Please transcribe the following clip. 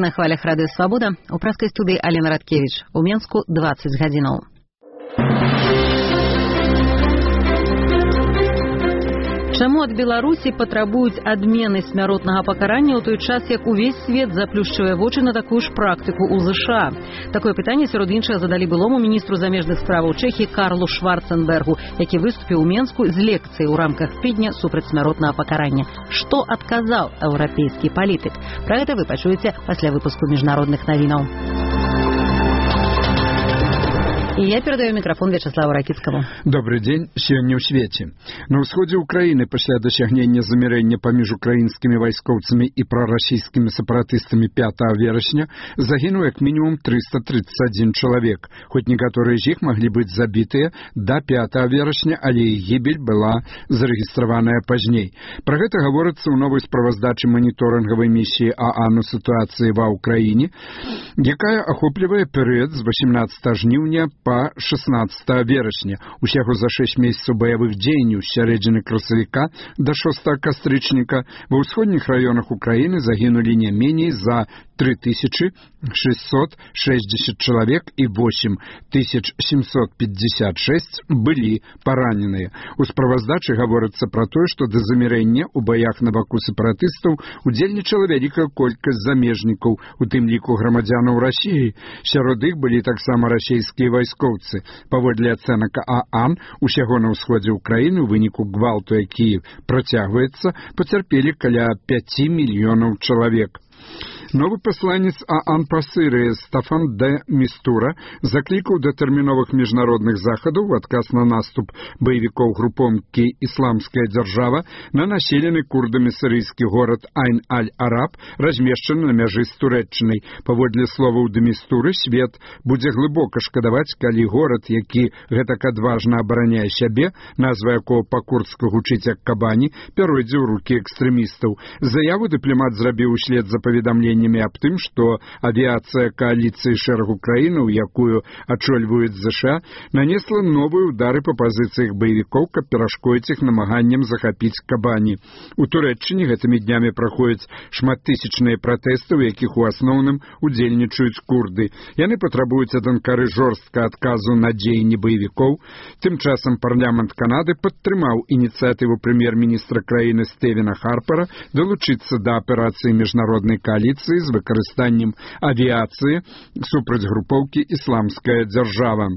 Вы на хвалях Рады Свабода. У праскай студыі Алена Радкевич. У Менску 20 гадзінаў. Чаму ад Беларусі патрабуюць адмены смяротнага пакарання ў той час, як увесь свет заплюшчвае вочы на такую ж практыку ў ЗША? Такое пытанне сярод іншага задалі былому міністру замежных справаў Чэхіі Карлу Шварценбергу, які выступіў у Менску з лекцыяй у рамках тыдня супраць смяротнага пакарання. Што адказаў еўрапейскі палітык? Пра гэта вы пачуеце пасля выпуску міжнародных навінаў. И я передаю микрофон Вячеславу Ракицкому. Добрый день. Сегодня в свете. На ўсходзе Украины после досягнення замірэння паміж украінскімі вайскоўцамі і прарасійскімі сепаратыстамі 5 верасня загінуў як мінімум 331 чалавек. Хоць некаторыя з іх маглі быць забітыя до 5 верасня, але іх гібель была зарэгістраваная пазней. Пра гэта гаворыцца ў новай справаздачы маніторынгавай місіі ААН у сітуацыі ва Ўкраіне, якая ахоплівае перыяд з 18 жніўня по 16 верасня. Усяго за 6 месяцаў баявых дзеянняў з сярэдзіны красавіка до 6 кастрычніка ва ўсходніх раёнах Украіны загінулі не меней за 3660 чалавек і 8756 былі параненыя. У справаздачы гаворыцца пра тое, што да замірэння ў баях на баку сепаратыстаў удзельнічала вялікая колькасць замежнікаў, у тым ліку грамадзянаў Расіі. Сярод іх былі таксама расійскія вайскоўцы. Паводле ацэнак ААН, усяго на ўсходзе Украіны ў выніку гвалту, які працягваецца, пацярпелі каля 5 мільёнаў чалавек. Новы пасланец ААН па Сірыі Стафан де Містура заклікаў да тэрміновых міжнародных захадаў у адказ на наступ баевікоў групоўкі «Ісламская дзяржава» на населены курдамі сірыйскі горад Айн-аль-Араб, размешчаны на мяжы з Турэччынай. Паводле словаў де Містуры, свет будзе глыбока шкадаваць, калі горад, які гэтак адважна абараняе сябе, назва якого па-курдску гучыць як кабані, пяройдзе ў рукі экстрэмістаў. Заяву дыпламат зрабіў услед за паведамленнямі аб тым, што авіяцыя кааліцыі шэрагу краінаў, якую ачольваюць ЗША, нанесла новыя ўдары па пазіцыях баевікоў, каб перашкодзіць іх намаганням захапіць кабані. У Турэччыне гэтымі днямі праходзяць шматтысячныя пратэсты, у якіх у асноўным удзельнічаюць курды. Яны патрабуюць ад Анкары жорстка адказу на дзеянні баевікоў. Тым часам парламент Канады падтрымаў ініцыятыву прэм'ер-міністра краіны Стэвена Харпера далучыцца да аперацыі міжнароднай коаліцыі з выкарыстаннем авіяцыі супраць групоўкі «Ісламская дзяржава».